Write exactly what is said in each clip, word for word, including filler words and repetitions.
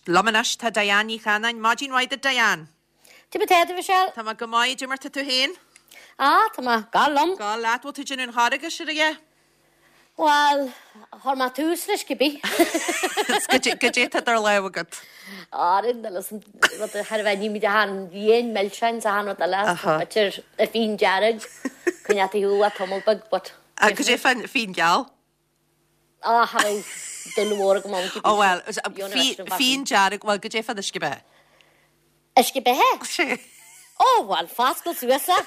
Liom anois tá Diane Ní Chanainn. Maidin mhaith duit, Diane. Cad é mar atá tú, Michelle? Tá mé go maith, cad é mar tá tú féin? Ah, tá mé go liom. Go leat bhfuil tú déanamh an Charghais ar a Well, chuir mé tús leis cibé. Goidé tá idir lámha agat. Árin rud thar bheith ní han dhéon milseáin sa han rud eile b'fhéidir a fíon dearg chun thú a tamall beag but. Goidé fán fíon geal? Ah dul mhór go Ó well, fíon dearg well goidé fán uisce beatha. Uisce beatha? Sé. Ó well fáscal suasa.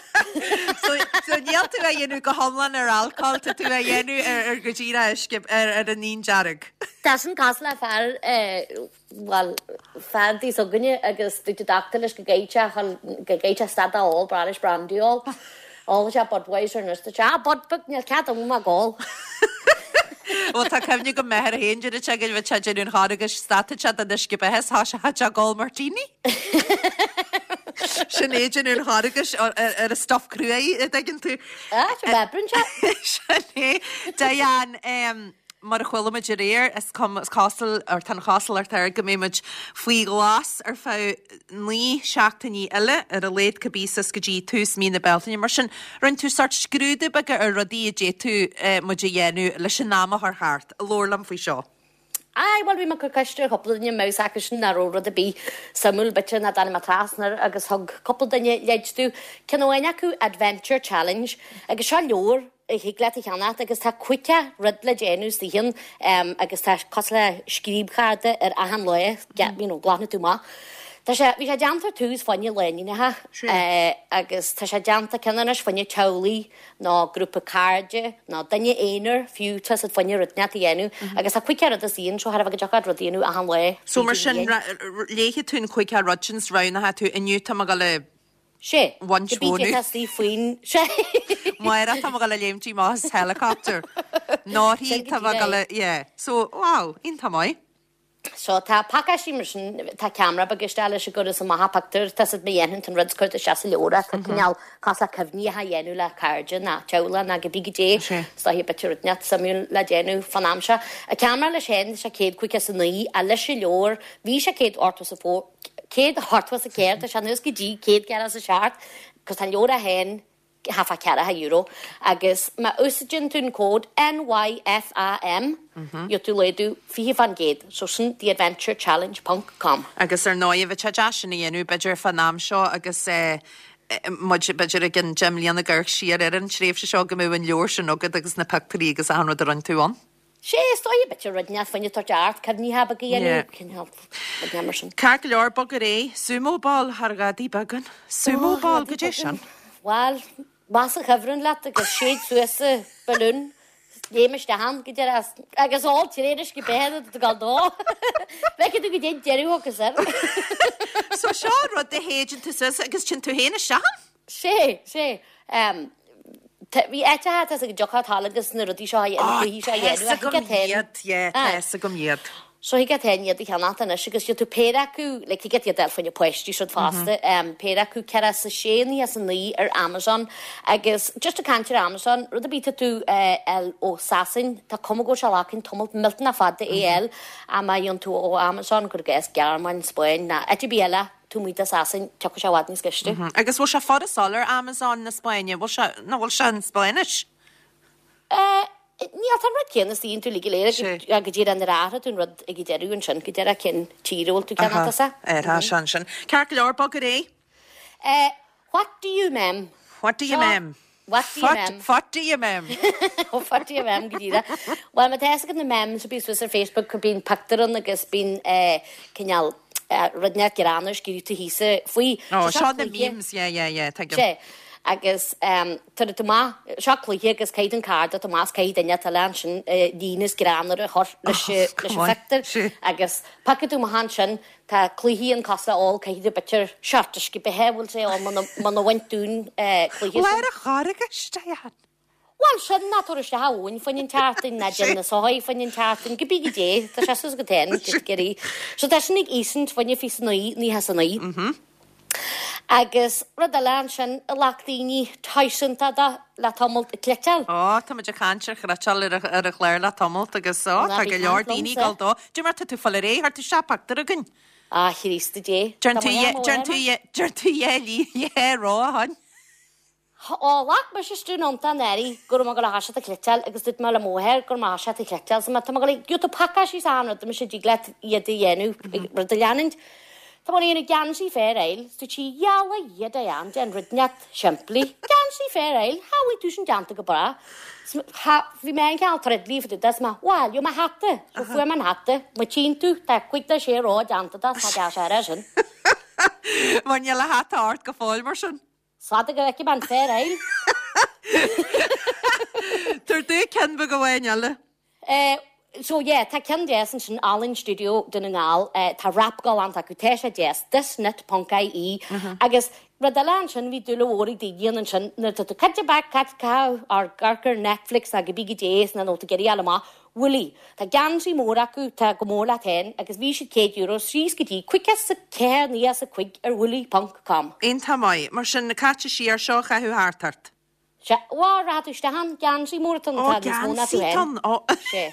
So so níl tú a dhéanamh go hiomlán ar alcohol tá tú a dhéanamh ar ar go dtí uisce ar ar an fhíon dearg. Tá sin cosúil le fear well fear tí againne agus dúirt an dochtúir leis go gcaithfidh go gcaithfidh stad a ól bra leis brandy ól. Ól sé Budweiser nus tá sé Bud níl cead am ól. Well tá cuimhne go mbeithir a haon dúna te go bh sé déanamh an Charghais stad sé den uisce beatha tá sé ag ól martini. Sin é déanamh an Charghais ar ar a stuff cruaí a dtuigeann tú. Ah, sé sé. Sin é Diane mar a chuala muid aréir is cum cosúil ar tá cosúlacht air go mbeidh faoi ghlas ar feadh naoi seachtainí eile ar a laghad cibé suas go dtí tús mí na Bealtaine mar sin rinne tú sort scrúdú beag ar rudaí a d'fhéadfadh muid a dhéanamh leis an am a chur thart. Labhair liom faoi seo. Ai, well bhí mé cur ceist ar chúpla duine meas acu sin nach raibh rud ar bith suimiúil b'fhéidir nach dtáinig mé trasna air agus thug cúpla duine leid domh ceann amháin acu Adventure Challenge agus seo leabhar a thig leat a cheannacht agus tá caoga rud le déanamh istigh ann um, agus tá cosúil le scríobchárta ar achan lá you know, glanfaidh tú amach. Tá sé bhí sé déanta tús fá choinne lánúineacha eh, agus tá sé déanta ceann anois fá choinne teaghlaigh nó grúpa cairde nó duine aonair fiú tá siad fá choinne rud inteacht a dhéanamh agus tá caoga rud istigh ann seo thar a bheith go deacair rud a dhéanamh achan lá. So mar sin léifidh tú an caoga rud sin roghnaithe tú inniu tá go le Sé Bhaint bhónú. faoin sé. Máire tá go le léimtí más helicopter. Náthaí tá go le yeah. So wow, iontach maith. So tá pacáistí mar sin tá ceamara beag isteach leis go is amach pictiúr tá siad dhéanann an rud cuir isteach sa leabhar tá cineál cosúil le cuimhní a dhéanamh le cairde ná teaghlach ná cibé goidé Stá b'fhéidir rud inteacht suimiúil le déanamh fan am seo. A ceamara leis féin sé céad caoga is a naoi a leis an leabhar bhí sé céad ochtó is a fó céad ochtó is a ceathair tá sé anuas go dtí céad ceathracha is a seacht cos tá an leabhar a haon hafa ceathracha euro agus má úsáideann tú an cód NYFAM gheobhaidh tú laghdú fiche faoin gcéad so sin theadventurechallenge.com. Agus ar ndóigh bheadh sé deas sin a dhéanamh b'fhéidir fan am seo agus eh, muid b'fhéidir ag an deich mbliana ag amharc siar ar an tréimhse seo go mbeadh an leabhar sin agat agus na pictiúirí agus achan rud a rinne tú ann. Sé is dóigh b'fhéidir rud inteacht fá choinne tabhairt cuimhní beaga a dhéanamh mar sin. Ceart go leor bog ar aghaidh, sumo ball thar ghadaí beagán. Sumo ball goidé sin. Well, más a chuibhreann leat agus séid suas sa balún léim isteach ann go deireadh agus ól tréis go behead do gal dó. Bheith tú go dé deireadh agus air. So seo rud a shéideann tú suas agus sin tú féin isteach ann? Sé sé. Um, Bhí eite tá go dtiocfadh agus na rudaí seo na cluichí seo iad, yeah, tá agam iad. So thig leat iad a cheannacht anois agus tú péire acu le thig leat iad a fháil fá choinne páistí siad fosta um, péire acu ceathracha is a sé naocha is a naoi ar Amazon agus just ag caint ar Amazon rud ar bith tú uh, ó Sasain tá cuma go sé lacin tamall millteanach fada é a má dhéanann tú ó Amazon gur gas Gearmáin Spáinn ná áit ar bith eile tú muid Sasain tiocfaidh sé i bhfad níos gaiste. Agus bhfuil sé furasta ar Amazon na Spáinne, bhfuil sé nó bhfuil sé an Spáinnis? Uh, Níl tá rud céanna is tú le léir go dtí an rátha tú rud ag deireadh ansin go deireadh cén tír bhfuil tú ceanna sa? Ar sin sin. Ceart go leor bog ar aghaidh? Uh, what do you mem? What do you mem? What do you mem? What do you mem? What do you mem go dtí Well má tá go na mem so bí suas ar Facebook go bíonn pictiúr ann agus bíonn cineál rud inteacht greannmhar scríofa thíos faoi. Oh, seo na memes, yeah, yeah, yeah, tuigim. Sé. Agus um, tar tú maith seo cluiche agus caithfidh an card Tomás caithfidh duine eile ansin líne is greannmhar a chur leis leis an phictiúr agus paca tú maith ansin tá cluichí an cosúil ól caithfidh tú b'fhéidir seort uisce beatha bhfuil sé á mana bhaint dún cluiche. Leir a Charghais, Diane. Well sin ná tar isteach amhain faoin an tseachtain ná déan na sochaí faoin an tseachtain go bí go dé tá sé sus go ten gerí. So tá sin ag Easons fá choinne fiche naoi naocha is a naoi. Agus rud eile ansin a ghlac daoine toisúnta de le tamalt, an chniotáil. Ó, tá muid ag caint ar chniotáil ar an chlár le tamalt agus ó, tá go leor daoine ag dul dó. Dé mar tá tú fáil ar aghaidh, chuir tú isteach pictiúr againn. A Chríosta Dé. Deir tú, deir tú, deir tú dhá lí, dhá rogha ann. Ó, ghlac mise stiún ionta an earraigh go raibh mé ag dul a thoiseacht ag cniotáil agus dúirt mé le mo mháthair go raibh mé a thoiseacht ag cniotáil so tá mé ag dul gheobhaidh tú pacáistí is achan rud mise dtig leat iad a dhéanamh rud a leanúint. Tá mé ag déanamh geansaí Fair Isle is dúirt sí 'Gheall a Dhia Diane déan rud inteacht simplí. Geansaí Fair Isle, cha bhfuil tú sin déanta go breá. Bhí mé an ceann troidlí fá dtaobh de is mé 'Bhail, gheobhaidh mé hata. So fuair mé an hata. Má tchíonn tú tá cúig nó sé ró déanta de tá deas air sin. Mar níl an hata ort go fóill mar sin. Fada go bhfeicfidh mé an Fair Isle. Tabhair domh ceann beag amháin eile. Eh, so yeah, tá ceann deas ansin, Ealaín Studio Dún na nGall, eh, tá wrap galánta acu, tá sé deas, thisknit ponc ie. Agus rud eile ansin, bhí dúil mhór ag daoine ansin, nuair atá tú caite back, caite caitheamh ar amharc ar Netflix ná cibé goidé is nó tú ag iarraidh a fháil amach, Woolly. Tá geansaí mór acu, tá go mór leat féin, agus bhí siad céad euro síos go dtí cúig is a ceathair naoi is a cúig ar woolly ponc com. Iontach maith. Mar sin, caite siar seo a chaitheamh thart ort. Sea, bhuel, rachaidh tú isteach ann, geansaí mór atá ann, Ó, tá níos mó ná tú geansaí féin. atá ann, ó. Sea.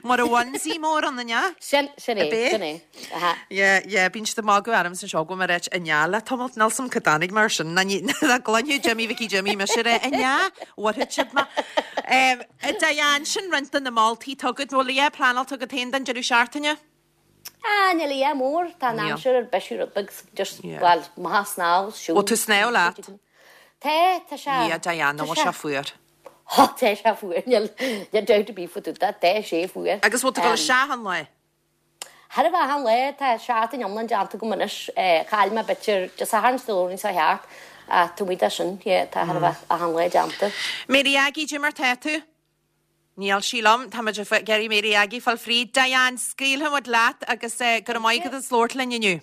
Mar a onesie mór ann, an ea? Sin, sin é, Ab é? sin é. Aha. Yeah, yeah, bíonn siad ag magadh ormsa anseo go bhfuil mé ag ráit an ea le tamalt, níl 's a'm cá dtáinig mar sin, ná ní, ná gcluinfeadh Jimí Mhicí Jimí mise ag rá an ea, bhfuair siad mé. Um, Diane, sin roinnt de na moltaí atá agat, bhfuil a dhath pleanáilte agat féin don deireadh seachtaine? Ah, níl a dhath mór, tá an Níl. aimsir ar bisiú rud beag, just, Yeah. well, maith snámh, siúl. Bhfuil tú snámh leat? Tá, tá sé. Yeah, Diane, tá bhfuil sé. sé fuar. Ó, tá sé fuar, níl, níl dabht ar bith fá dtaobh de, tá sé fuar. Agus bhfuil tú ag dul Um, isteach an lae? Thar a bheith an lae, tá seachtain iomlán déanta agam anois, eh, chaill mé b'fhéidir Dé Sathairn is Dé Luain seo thart, ach tá muid as sin, yeah, tá thar a bheith achan lá déanta. Mary Aggie, dé mar tá tú? Níl sí liom, tá muid ag iarraidh Mary Aggie fáil fríd. Diane, scaoilfidh muid leat agus eh, go raibh maith agat as labhairt linn inniu.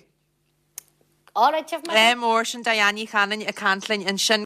All right, Tiff, Ádh mór sin Diane Ní Chanainn ag caint linn ansin.